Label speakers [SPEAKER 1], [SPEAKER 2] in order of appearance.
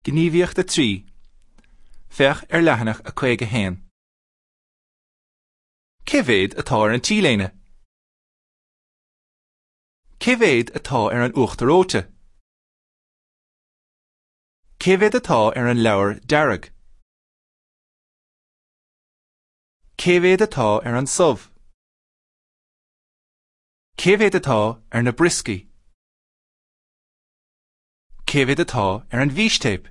[SPEAKER 1] Gníomhaíocht 3. Féach ar leathanach 51. Cé mhéad atá ar an T-léine? Cé mhéad atá ar an uachtar reoite? Cé mhéad atá ar an leabhar dearg? Cé mhéad atá ar an subh? Cé mhéad atá ar na brioscaí? Cé mhéad atá ar an bhfístéip?